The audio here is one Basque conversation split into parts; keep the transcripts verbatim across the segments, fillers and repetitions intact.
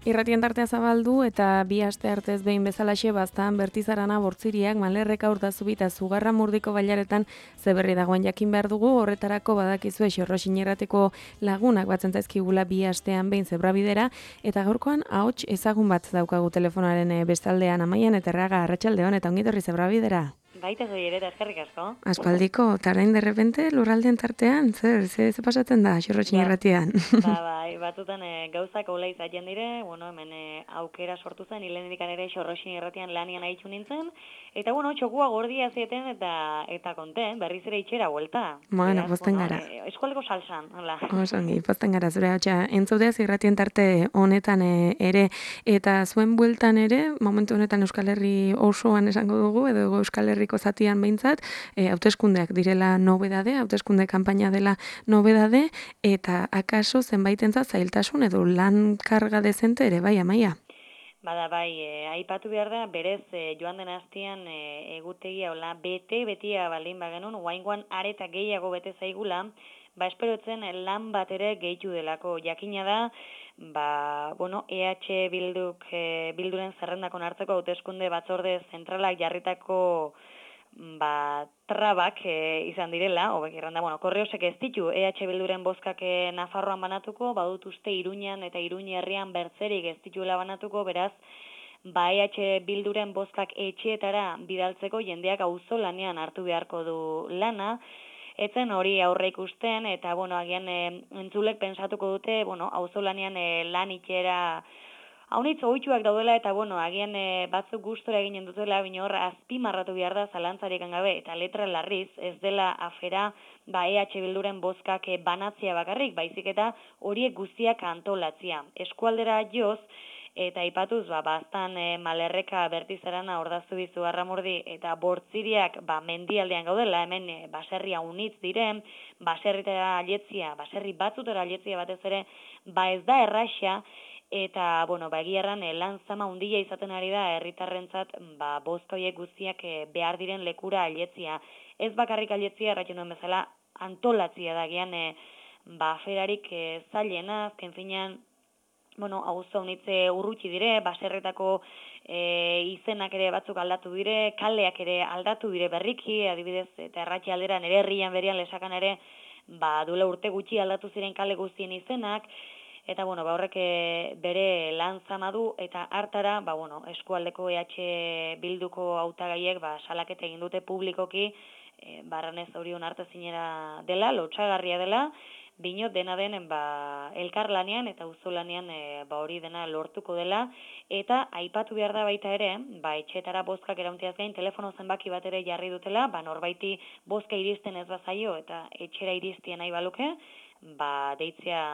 Irratien tartea zabaldu eta bi aste artez behin bezalaxe baztan bertizarana bortziriak malerreka urtazubita zugarra murdiko bailaretan zeberri dagoen jakin behar dugu, horretarako badakizue xorrosin irrateko lagunak batzen zaizkigula bi astean behin zebrabidera, eta gaurkoan ahots ezagun bat daukagu telefonaren bestaldean. Amaian eta Erraga, arratsaldeon eta ongitorri zebrabidera. Baita zoi ere, eta eskerrik asko. Aspaldiko, eta orain derrepente lurraldean tartean, zer, zer, zer pasatzen da xorrosin irratian? Ba, bai, batzutan e, gauzak hola izaten dire, bueno, hemen e, aukera sortu zen, hilenetik ere xorrosin irratian lanian haitxu nintzen, eta bueno, txokua gordia zieten eta eta konten, berriz ere itxera vuelta. Bueno, posten bueno, gara. E, eskualdeko salsan, hola. Osongi, posten gara, zure hau entzudeaz irratien tarte honetan e, ere, eta zuen bueltan ere, momentu honetan Euskal Herri osoan esango dugu, edo Euskal Herriko zatian behintzat, e, hauteskundeak direla nobedade, hauteskunde kanpaina dela nobedade, eta akaso zenbaitentzat zailtasun edo lan karga dezente ere, bai, Amaia? Bada, bai, e, aipatu behar da, berez e, joan den hastian e, egutegia, hola, bete, betia baldin bagenun, oaingoan areta gehiago bete zaigula, ba, esperotzen lan bat ere gehitu delako. Jakina da, ba, bueno, E H Bilduk, e, Bilduren zerrendakon hartzeko hauteskunde batzorde zentralak jarritako ba, trabak e, izan direla, hobek irranda, bueno, korreosek ez ditu E H Bilduren bozkak e, Nafarroan banatuko, badut uste Iruñan eta Iruñi herrian bertzerik ez dituela banatuko, beraz, ba E H Bilduren bozkak etxeetara bidaltzeko jendeak auzolanean hartu beharko du lana, etzen hori aurre ikusten, eta, bueno, agian e, entzulek pensatuko dute, bueno, auzolanean e, lan itxera haunitz ohituak daudela, eta, bueno, agian e, batzuk gustora eginen dutela, bine hor azpimarratu behar da zalantzarik gabe, eta letra larriz, ez dela afera, ba, E H Bilduren bozkak e, banatzia bakarrik, baizik eta horiek guztiak antolatzia. Eskualdera joz, eta ipatuz, ba, baztan e, malerreka bertizarana ordaztu bizu arramurdi, eta bortziriak, ba, mendialdean gaudela, hemen e, baserria unitz diren, baserritara alietzia, baserri batzutara alietzia batez ere, ba, ez da erraxa, eta, bueno, ba, egiarran e, lan zama handia izaten ari da herritarrentzat, ba, bozka horiek guztiak e, behar diren lekura alietzia. Ez bakarrik alietzia, erratzen duen bezala, antolatzia da, gian, e, ba, aferarik e, zailena, azken finean, bueno, auzo honitze urrutsi dire, baserretako e, izenak ere batzuk aldatu dire, kaleak ere aldatu dire berriki, adibidez, eta erratxe aldera nere herrian berian lesakan ere, ba, duela urte gutxi aldatu ziren kale guztien izenak, eta, bueno, ba, horrek bere lan zama du, eta hartara, ba, bueno, eskualdeko E H Bilduko hautagaiek, ba, salaketa egin dute publikoki, e, barranez hori onartezinera dela, lotsagarria dela, binot dena den ba, elkarlanean eta auzolanean e, ba, hori dena lortuko dela, eta aipatu behar da baita ere, ba, etxetara bozkak erauntiaz gain, telefono zenbaki bat ere jarri dutela, ba, norbaiti bozka iristen ez bazaio eta etxera iristien nahi baluke, ba, deitzea,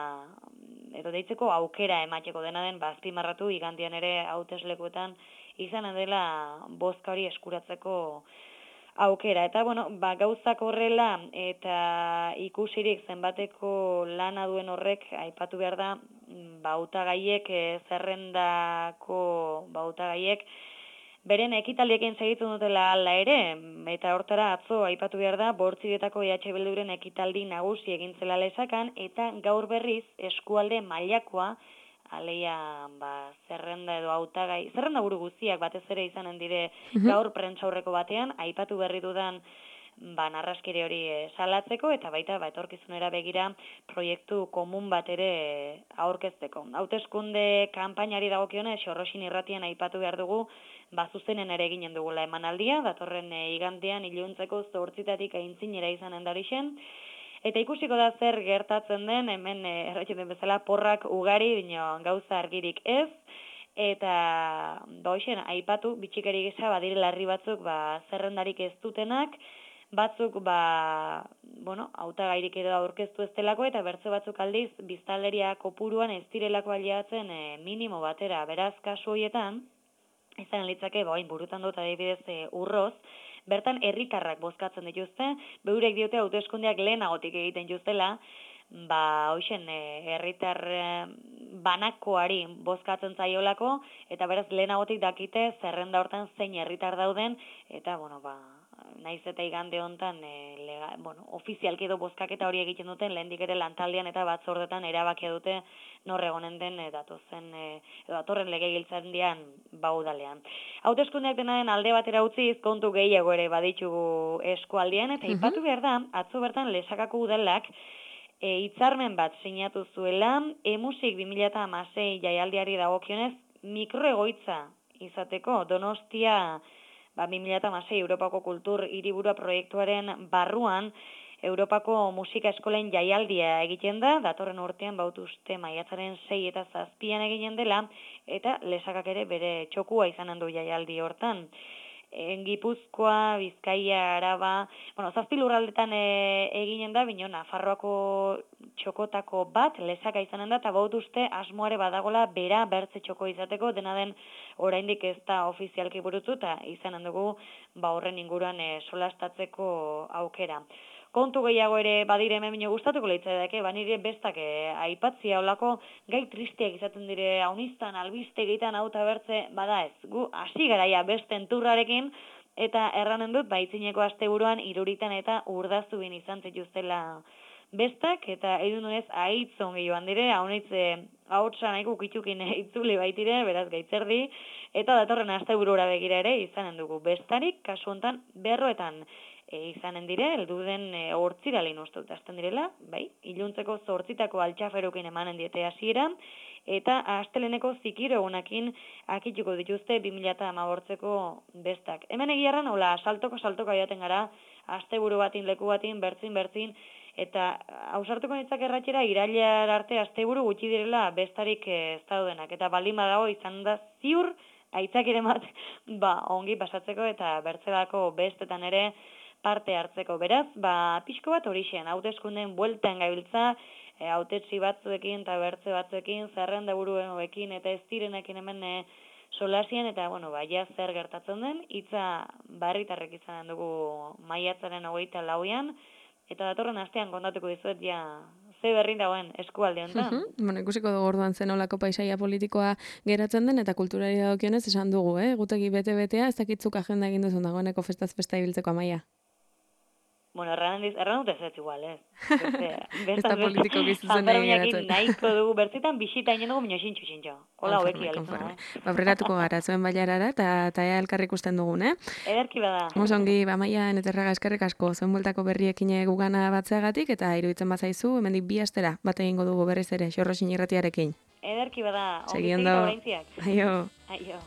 edo deitzeko aukera emateko dena den, ba, azpimarratu igandian ere hauteslekuetan izan dela bozka hori eskuratzeko aukera. Eta, bueno, ba, gauzak horrela eta ikusirik zenbateko lana duen horrek, aipatu behar da, ba, hautagaiek, e, zerrendako ba, hautagaiek, beren ekitaldiekin segitzen dutela ala ere, eta hortara atzo aipatu behar da, bortziretako E H Bilduren ekitaldi nagusi egin zela lesakan, eta gaur berriz eskualde mailakoa, aleia, ba, zerrenda edo hautagai, zerrenda buru guztiak batez ere izanen dire gaur prentsaurreko batean, aipatu berri dudan, ba, narraskire hori e, salatzeko, eta baita, ba, etorkizunera begira proiektu komun bat ere e, aurkezteko. Hauteskunde kanpainari dagokionez, xorrosin irratian aipatu behar dugu, ba, zuzenen ere eginen dugula emanaldia, datorren e, igandean iluntzeko zortzitatik aintzinera izanen darixen, eta ikusiko da zer gertatzen den, hemen e, erratzen den bezala porrak ugari, bino gauza argirik ez, eta ba, hoxen, aipatu, bitxikari gisa, badire larri batzuk, ba, zerrendarik ez dutenak, batzuk, ba, bueno, hautagairik edo aurkeztu ez delako, eta bertze batzuk aldiz, biztanleria kopuruan ez direlako aliatzen e, minimo batera, beraz, kasu horietan, izan litzake, ba, burutan dut adibidez e, urroz, bertan herritarrak bozkatzen dituzte, beurek diote hauteskundeak lehenagotik egiten jutela, ba, hoxen, herritar e, banakoari bozkatzen zaiolako, eta beraz lehenagotik dakite zerrenda hortan zein herritar dauden, eta, bueno, ba, naiz eta igande hontan e, lega, bueno, ofizialki edo bozkaketa hori egiten duten lehendik ere lantaldean eta batzordetan erabakia dute nor egonen den e, datozen e, edo datorren legegintzaldian baudalean. Hauteskundeak denaren alde batera utziz kontu gehiago ere baditugu eskualdean eta aipatu behar da atzo bertan Lesakako udalak e, hitzarmen bat sinatu zuela emusik bi mila hamasei jaialdiari dagokionez mikroegoitza izateko Donostia ba, bi mila hamasei Europako Kultur Hiriburua proiektuaren barruan Europako musika eskolen jaialdia egiten da, datorren urtean bautuzte maiatzaren sei eta zazpian eginen dela, eta Lesakak ere bere txokua izanen du jaialdi hortan. En Gipuzkoa, Bizkaia, Araba, bueno, zazpi lurraldetan e, eginen da, bino Nafarroako txokotako bat Lesaka izanen da, eta bautuzte asmoare badagola bera bertze txoko izateko, dena den oraindik ez da ofizialki burutu, eta izanen dugu ba horren inguruan e, solastatzeko aukera. Kontu gehiago ere badire hemen bino gustatuko leitzaidak, banire bestak e, aipatzia olako gai tristeak izaten dire haunistan, albiste egiten auta bertze, bada ez, gu hasi garaia beste enturrarekin, eta erranen dut, baitzineko asteburuan iruritan eta urdaztu bin izan zituztela bestak, eta edunez ahitzon gehioan dire, haunitze hautsa nahiko ukitzukin itzuli baitire, beraz gaitzerdi, eta datorren asteburura begira ere izanen dugu bestarik, kasu hontan berroetan, E, izanen dire, elduden e, hortziralin uste dut azten direla, bai, iluntzeko zortzitako altxaferukin emanen diete hasiera, eta asteleneko zikiro egunakin akituko dituzte bi mila hamabortzeko bestak. Hemen egiarran, hola, saltoko saltoka jaten gara, asteburu batin, leku batin, bertzin, bertzin, eta hausartuko nintzak erratxera, irailar arte asteburu gutxi direla bestarik ez daudenak, eta baldin badago izan da ziur, aitzakiren bat, ba, ongi pasatzeko, eta bertzelako bestetan ere, parte hartzeko. Beraz, ba, pixko bat horixen, hauteskundeen bueltan gabiltza, e, hautetsi batzuekin eta bertze batzuekin, zerrenda buruekin eta ez direnekin hemen e, solasian, eta, bueno, ba, ja zer gertatzen den, hitza barritarrek izanen dugu maiatzaren hogeita lauean, eta datorren astean kontatuko dizuet, ja, ze berrin dagoen eskualde honetan. Uh -huh. Bueno, ikusiko dugu orduan zen olako paisaia politikoa geratzen den, eta kulturari dagokionez esan dugu, eh? Gutegi bete-betea, ez dakitzuk agenda egin duzun dagoeneko festaz festa ibiltzeko Amaia. Bueno, erran dut ez ez igual, ez. Ez da politiko gizuzen egin geratzen. Nahiko dugu, bertzitan bisita inen dugu minio xintxu xintxo. Hola hobeki alizuna, eh? Ba, preratuko gara, zuen bailarara, eta ea elkarrik usten dugun, eh? Ederki bada. Mosongi, ba, Amaia, neterraga eskerrik asko, zuen bueltako berriekin gugana batzeagatik, eta iruditzen bazaizu, hemendik bi astera, bat egingo dugu berriz ere, Xorroxin irratiarekin. Ederki bada, ongi zegita oraintziak. Aio. Aio.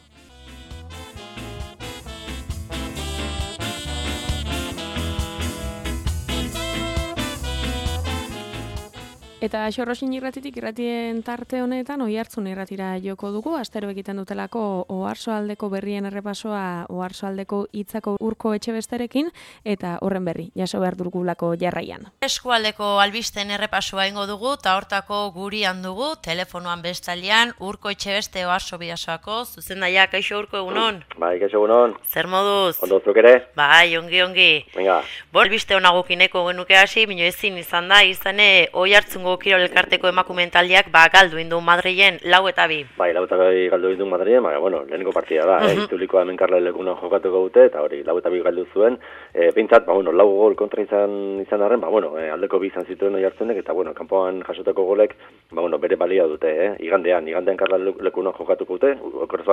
Eta Xorroxin irratitik irratien tarte honetan Oihartzun irratira joko dugu, astero egiten dutelako Oarsoaldeko berrien errepasoa Oarsoaldeko hitzako urko etxebesterekin, eta horren berri, jaso behar dugulako jarraian. Eskualdeko albisten errepasoa ingo dugu, eta hortako gurian dugu, telefonoan bestalian, urko etxebeste Oarso bidasoako, zuzendaia, kaixo urko egunon? Bai, kaixo egunon. Zer moduz? Ondo zuk ere? Bai, ongi, ongi. Venga. Bo, albiste honagukineko genuke hasi, bino ezin izan da, izane Oihartzungo Kirol Elkarteko emakumeen taldeak ba galdu indu Madrilen lau eta bi. Bai, lau eta bi galdu indu Madrilen, baina, bueno, leheniko partida da, uh -huh. eh, itulikoa hemen Karla Lekuna jokatuko dute, eta hori, lau eta bi galdu zuen, e, pintzat, ba, bueno, lau gol kontra izan izan arren, ba, bueno, e, aldeko bi izan zituen Oihartzunek, eta, bueno, kanpoan jasotako golek, ba, bueno, bere balia dute, eh, igandean, igandean Karla Lekuna jokatuko dute, okorrez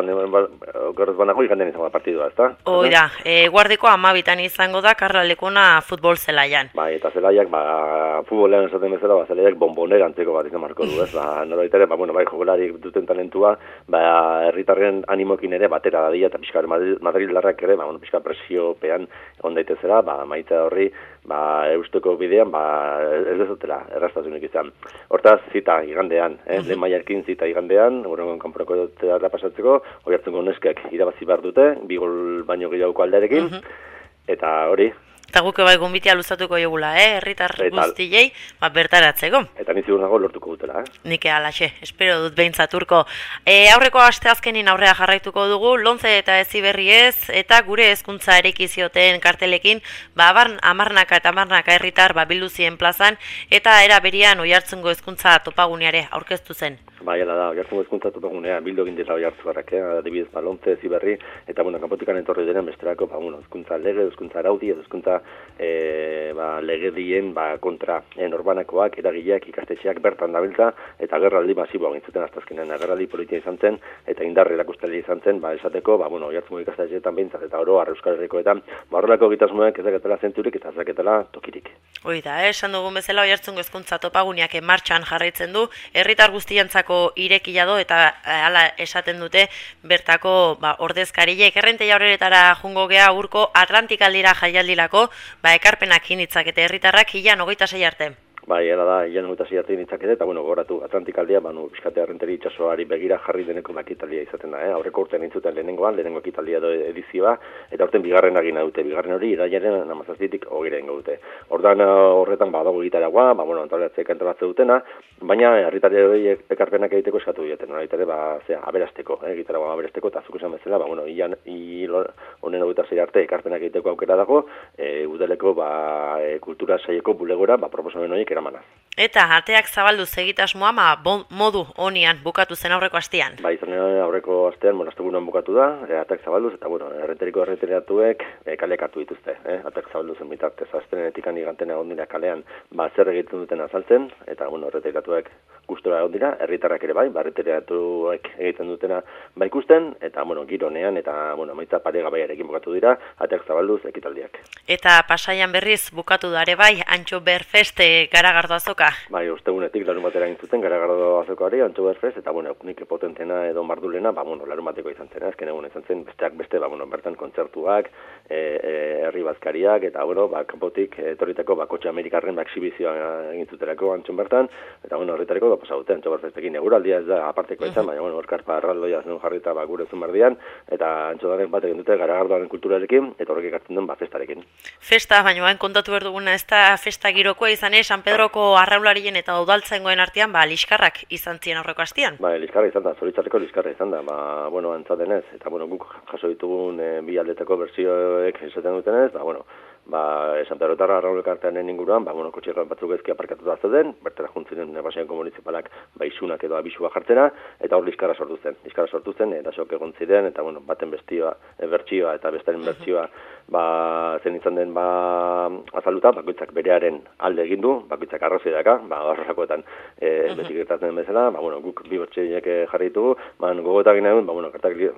banago igandean izango da partidua, ezta? Oida, e, guardiko amabitan izango da Karla Lekuna futbol zelaian. Bai, eta zelaiak, ba, futbolean esaten bezala, ba, zelaiak bombonera antzeko bat izan marko du, ez? Ba, norbait ere, ba, bueno, bai, jokolari duten talentua, ba, herritarren animokin ere batera dadia, eta pixka Madrildarrak ere, ba, bueno, pixka presiopean egon daitezela, ba, maitza horri, ba, eusteko bidean, ba, ez dezotela, errastasunik izan. Hortaz, zita igandean, eh? Lehen maiarkin zita igandean, horrengon kanporako dutela pasatzeko, Oihartzungo neskek irabazi behar dute, bi gol baino gehiagoko aldearekin, eta hori, eta guke bai gombitea luzatuko jogula, eh? Herritar guztiei, ba, bertaratzeko. Eta ni ziur nago lortuko dutela, eh? Nik alaxe, espero dut behintzat urko. E, aurreko aste azkenin aurrea jarraituko dugu, Lonze eta Heziberri ez, eta gure hezkuntza erekizioten kartelekin, ba, amarnaka eta amarnaka herritar ba, bildu ziren plazan, eta era berian Oihartzungo hezkuntza topaguneare aurkeztu zen. Bai, hala da, oiartzungo hezkuntza topagunean bildu egin dira oiartzuarrak, eh? Adibidez, ba, Lontze, Ziberri, eta, bueno, kanpotikan etorri diren besterako, ba, bueno, hezkuntza lege, hezkuntza araudi, hezkuntza e, ba, legedien ba, kontra e, norbanakoak, eragileak, ikastetxeak bertan dabiltza, eta agerraldi masiboa gintzuten aztazkenean, agerraldi politia izan zen, eta indar erakusteli izan zen, ba, esateko, ba, bueno, oiartzungo ikastetxeetan behintzat, eta oro, Euskal Herrikoetan, ba, horrelako egitasmoek ezaketela zentzurik, eta ezaketela tokirik. Hoi da, eh? Esan dugun bezala oiartzungo hezkuntza topaguneak martxan jarraitzen du, herritar guztientzako irekia do eta hala esaten dute bertako ba, ordezkariek errenteia horretara jungo gea urko Atlantikaldira jaialdilako ba, ekarpenak initzakete herritarrak hilan hogeita sei arte. Bai, era da, hilan hogeita sei arte initzakete, eta bueno, gogoratu Atlantikaldia, ba, nu, bizkate errenteri itxasoari begira jarri deneko ekitaldia izaten da, eh? Aurreko urtean intzuten lehenengoan, lehenengo ekitaldia do edizioa, eta urten bigarren agina dute, bigarren hori irailaren amazazpitik hogeira ingo dute. Ordan horretan badago gitaragoa, ba, bueno, antolatzea kantolatze dutena, baina herritarri hori ekarpenak egiteko eskatu dieten, horretare, ba, zea, aberasteko, eh? Gitaragoa aberasteko, eta zuk esan bezala, ba, bueno, hilan, hil honen hogeita sei arte ekarpenak egiteko aukera dago, e, udeleko, ba, e, kultura saieko bulegora, ba, proposamen horiek eramanaz. Eta ateak zabaldu egitasmoa ma bon, modu honian bukatu zen aurreko astean. Ba, izan aurreko astean, bueno, astegunean bukatu da, e, ateak zabalduz, eta bueno, errenteriko errenteriatuek e, kaleak hartu dituzte, eh? Ateak zabalduzen bitartez, astrenetik aniganten egon dira kalean, ba, zer egiten duten azaltzen, eta bueno, errenteriatuek gustora egon dira, herritarrak ere bai, ba, errenteriatuek egiten dutena ba ikusten, eta bueno, gironean, eta bueno, maitza paregabaiarekin bukatu dira, ateak zabalduz ekitaldiak. Eta Pasaian berriz bukatu da ere bai, Antxo Berfeste Garagardo azoka. Bai, ostegunetik larun batera egin zuten Garagardo azokoari, Antxo Berfest, eta bueno, nik potentena edo mardulena, ba bueno, larun bateko izan zen, azken egun izan zen, besteak beste, ba bueno, bertan kontzertuak, e, e, herri bazkariak, eta bueno, ba kanpotik etorritako ba kotxe amerikarren ba exhibizioa egin zuterako Antxon bertan, eta bueno, horretareko da pasa dute Antxo Berfestekin eguraldia ez da aparteko izan, baina bueno, orkarpa arraldoia zen jarrita ba gure Zumberdian, eta Antxodaren bat egin dute Garagardoaren kulturarekin, eta horrek ekartzen den ba festarekin. Festa, baina bain kontatu behar duguna, ez da festa girokoa izan, eh? San Pedroko arraularien eta udaltzaingoen artean, ba, liskarrak izan ziren aurreko astean. Ba, liskarra izan da, zoritzarreko liskarra izan da, ba, bueno, antzatenez, eta bueno, guk jaso ditugun e, bi aldetako bertsioek esaten dutenez, ba, bueno, ba, San Pedrotarra arraulek arteanen inguruan, ba, bueno, kotxe batzuk ezki aparkatuta zeuden, bertera juntzinen Pasaiako municipalak ba, isunak edo abisua jartzera, eta hor liskarra sortu zen. Liskarra sortu zen, eta sok egon ziren, eta bueno, baten bestioa, e, bertsioa eta bestaren bertsioa, ba, zen izan den ba, azaluta, bakoitzak berearen alde egin du, bakoitzak arrazoi daka, ba, horrakoetan e, beti gertatzen bezala, ba, bueno, guk bi bertsioiek jarri ditugu, ba, gogoetak ginen, ba, bueno, gertakari,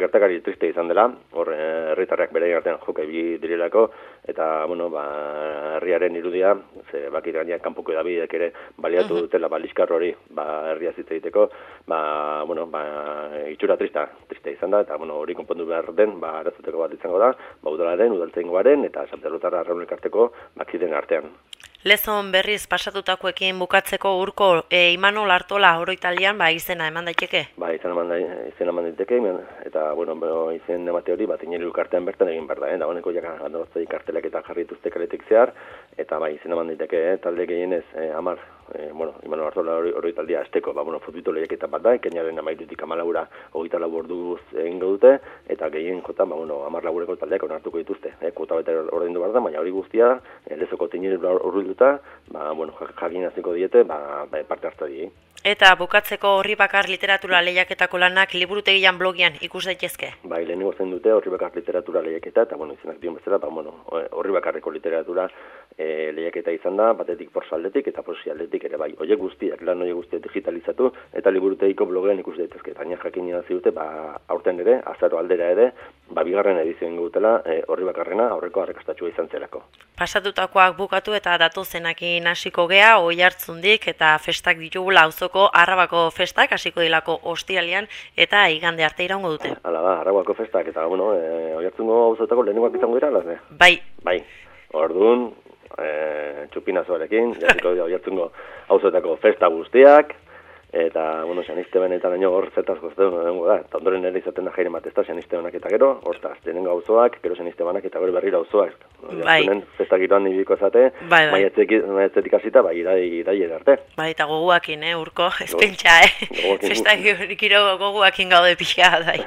gertakari triste izan dela, hor herritarrak bere artean joke bi direlako, eta, bueno, ba, herriaren irudia, ze bakit gainean kanpoko edabideek ere baliatu dutela, ba, liskar hori, ba, herria zitza egiteko, ba, bueno, ba, itxura trista, trista izan da, eta, bueno, hori konpondu behar den, ba, arazuteko bat izango da, ba, udalaren, udaltzaingoaren, eta San Pedrotarra arraunek arteko, bakiden artean. Lezon berriz pasatutakoekin bukatzeko urko e, Imanol Artola oroitalian ba izena eman daiteke? Ba, izena eman, da, izena eman daiteke, eta, bueno, bueno izen emate hori, bat ineru kartean bertan egin behar da, eh? Da honeko jaka andoraztei kartelak eta jarri dituzte kaletik zehar, eta ba, izena eman daiteke, eh? Talde gehienez, eh, amar, eh, bueno, Imanol Artola oroitaldia azteko, ba, bueno, futbito lehiaketa bat da, ekainaren amairutik amalaura hogeita lau orduz egingo dute, eta gehien jota, ba, bueno, amar labureko taldeak onartuko dituzte, eh? Kuota bete ordaindu behar da, baina hori guztia, eh, lezoko tineru urbilduta, ba, bueno, jakin hasiko diete, ba, ba, parte hartu die. Eta bukatzeko Horri Bakar literatura lehiaketako lanak liburutegian blogian ikus daitezke? Bai, lehenengo zen dute Horri Bakar literatura lehiaketa, eta, bueno, izenak dion bezala, ba, bueno, Horri Bakarreko literatura e, lehiaketa izan da, batetik porso aldetik eta poesia aldetik ere bai. Oiek guztiak, lan oiek guztiak digitalizatu, eta liburutegiko blogean ikus daitezke. Eta jakin irazi dute, ba, aurten ere, azaro aldera ere, ba, bigarren edizioen gutela e, Horri Bakarrena aurreko arrakastatxua izan zelako. Pasatutakoak bukatu eta datozenakin hasiko gea, Oiartzundik eta festak ditugula auzoko Arrabako festak hasiko dilako ostiralean eta igande arte iraungo dute. Hala da, Arrabako festak eta bueno, e, Oiartzungo auzotako lehenengoak izango dira, las, Bai. Bai. Orduan, e, txupinazoarekin, jasiko dira Oiartzungo auzotako festa guztiak. Eta, bueno, Xaniste benetan daño hor zetaz gozten dengo da. Eta ondoren ere izaten da jaire matezta, Xaniste banak eta gero, hortaz, denengo auzoak, gero Xaniste banak eta gero berriro auzoak. Bai. Festa giroan nibiko zate, bai, bai. Maiatzetik hasita, bai, irai arte. Bai, eta goguakin, eh, urko, espentsa, eh. Festa giro goguakin gaude pixka, bai.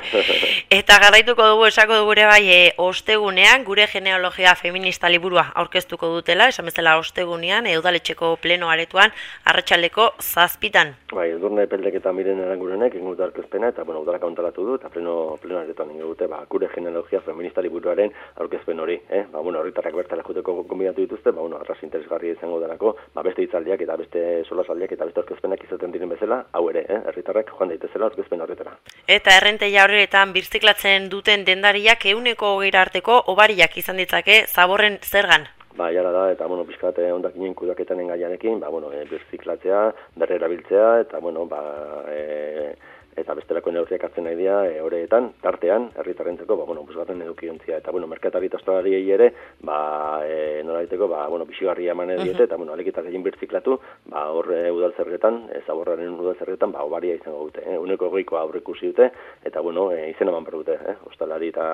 Eta garaituko dugu, esako dugu ere bai, e, ostegunean, gure genealogia feminista liburua aurkeztuko dutela, esan bezala ostegunean, e, udaletxeko pleno aretuan, arratsaldeko zazpitan. Bai, Edurne Peldek eta Miren Arangurenek egin dute aurkezpena, eta, bueno, udalak antolatu du, eta pleno, pleno aretan egin dute, ba, gure genealogia feministari buruaren aurkezpen hori, eh? Ba, bueno, herritarrak bertara joteko gonbidatu dituzte, ba, bueno, arras interesgarria izango delako, ba, beste hitzaldiak eta beste solasaldiak eta beste aurkezpenak izaten diren bezala, hau ere, eh? Herritarrak joan daitezela aurkezpen horretara. Eta errenteia horretan birziklatzen duten dendariak ehuneko hogeira arteko obariak izan ditzake zaborren zergan. Ba, jara da, eta, bueno, pixkat ondakinen kudaketanen gaiarekin, ba, bueno, e, birziklatzea, berrerabiltzea, eta, bueno, ba, e, eta bestelako neurriak hartzen nahi dira, e, horretan, tartean, herritarrentzeko, ba, bueno, busgarren edukiontzia, eta, bueno, merkatari eta ostalariei ere, ba, e, nolaiteko, ba, bueno, bisigarria eman diete, eta, bueno, alekitak egin birziklatu, ba, horre udaltzerretan, e, zaborraren udaltzerretan, ba, obaria izango dute, eh? Uneko goikoa aurrekusi dute, eta, bueno, e, izen eman behar dute, eh? Ostalari eta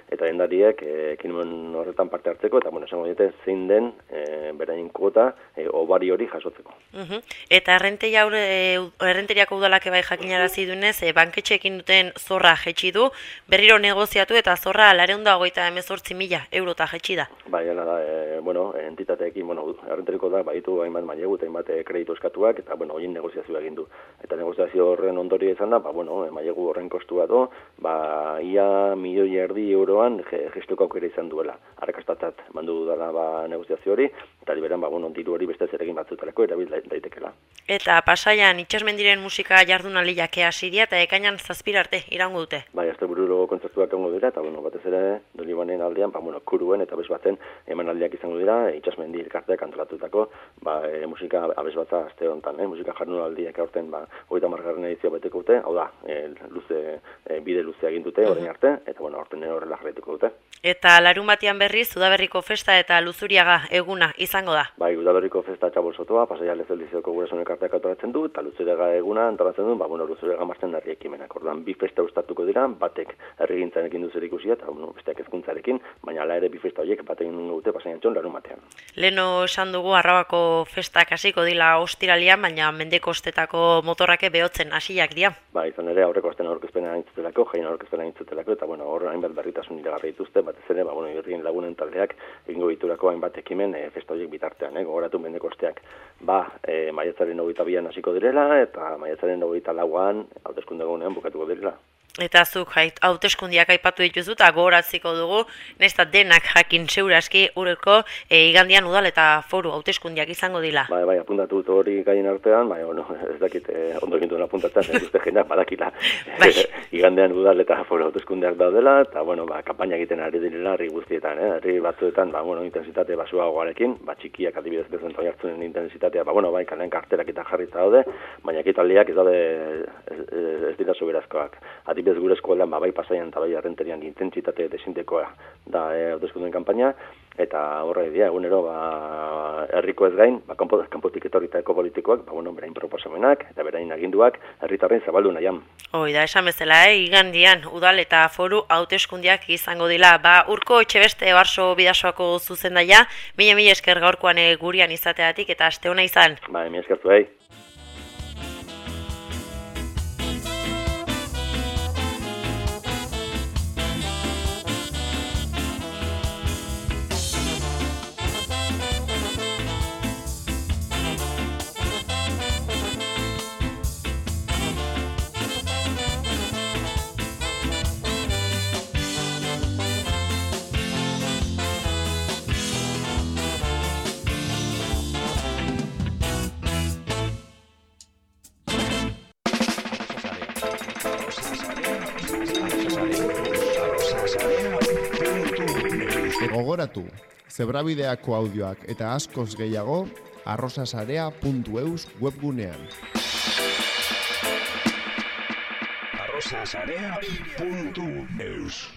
eta dendariek ekimen horretan parte hartzeko, eta, bueno, esango dute zein den e, berain kuota e, obari hori jasotzeko. Uh-huh. Eta errenteria e, errenteriako udalak bai jakinarazi duenez, e, banketxeekin duten zorra jetxi du, berriro negoziatu eta zorra laurehun eta hogeita hemezortzi mila eurota jetxi da. Bai, hala da, e, bueno, entitateekin, bueno, errenteriko da, baitu hainbat mailegu eta hainbat kreditu eskatuak, eta, bueno, horien negoziazioa egin du. Eta negoziazio horren ondorio izan da, ba, bueno, mailegu horren kostua do, ba, ia milioi erdi euro gestuko aukera izan duela. Arrakastatzat mandu dudala ba, negoziazio hori, eta liberan ba, bueno, diru hori beste zeregin batzutarako erabil daitekela. Eta Pasaian itxasmendiren musika jardunaldiak hasi dira eta ekainan zazpira arte iraungo dute. Bai, astebururo kontzertuak egongo dira, eta bueno, batez ere Dolibanen aldean, ba, bueno, kuruen eta abez batzen emanaldiak izango dira, itxasmendi elkarteak antolatutako ba, e, musika abez batza aste honetan, eh? Musika jardunaldiak aurten ba, hogeita hamargarren edizioa beteko dute, hau da, e, luze, e, bide luzea egin dute orain arte, eta bueno, aurten horrela jarraituko dute. Eta larun batean berriz, Udaberriko festa eta Luzuriaga eguna izango da. Bai, Udaberriko festa txabolzotoa, Pasaia Lezeldizioko gurasoen elkarteak antolatzen du, eta Luzuriaga eguna antolatzen du, ba, bueno, Luzuriaga martzen herri ekimenak. Orduan, bi festa ustatuko dira, batek herrigintzarekin du zerikusia, eta bueno, besteak hezkuntzarekin, baina hala ere bi festa horiek batekin egingo dute Pasaian txon larun batean. Leno esan dugu Arrabako festak hasiko dila ostiralian, baina mendekostetako motorrake behotzen hasiak dira. Ba, izan ere aurreko astean aurkezpena aintzutelako, jaien aurkezpena aintzutelako, eta bueno, hor hainbat berritasun iragarri dituzte, batez ere, ba, bueno, irrien lagunen taldeak egingo diturako hainbat ekimen e, festa horiek bitartean, eh, gogoratu mendekosteak, ba, e, maiatzaren hogeita bian hasiko direla, eta maiatzaren hogeita lauan, hauteskunde egunean bukatuko direla. Eta zuk hauteskundiak aipatu dituzu eta gogoratziko dugu, nesta denak jakin seuraski ureko e, igandian udal eta foru hauteskundiak izango dila. Bai, bai, apuntatu dut hori gaien artean, bai, bueno, ez dakit eh, ondo egin duen apuntatzen, ez duzte jendeak badakila. Bai. Igandean udal eta foru hauteskundiak daudela, eta, bueno, ba, kampaina egiten ari direla herri guztietan, eh? Herri batzuetan, ba, bueno, intensitate basuagoarekin, ba, txikiak adibidez bezen toiartzunen intensitatea, ba, bueno, bai, kalean karterak eta jarrita daude, baina ekitaldiak ez daude ez, ez, ez dira soberazkoak. Adibidez gure eskualdean, ba, bai Pasaian eta bai errenterian intentsitate desintekoa da hauteskundeen kanpaina, eta horra idea, egunero, ba, herriko ez gain, ba, kanpo, kanpotik etorritako politikoak, ba, bueno, berain proposamenak eta berain aginduak herritarren zabaldu nahian. Hoi da, esan bezala, eh? Igandian, udal eta foru hauteskundiak izango dila. Ba, Urko Etxebeste Barso Bidasoako zuzendaia, mila mila esker gaurkoan gurian izateatik eta aste ona izan. Ba, mila esker zuei. Gogoratu, Zebrabideako audioak eta askoz gehiago arrosasarea puntu eus webgunean. arrosasarea puntu eus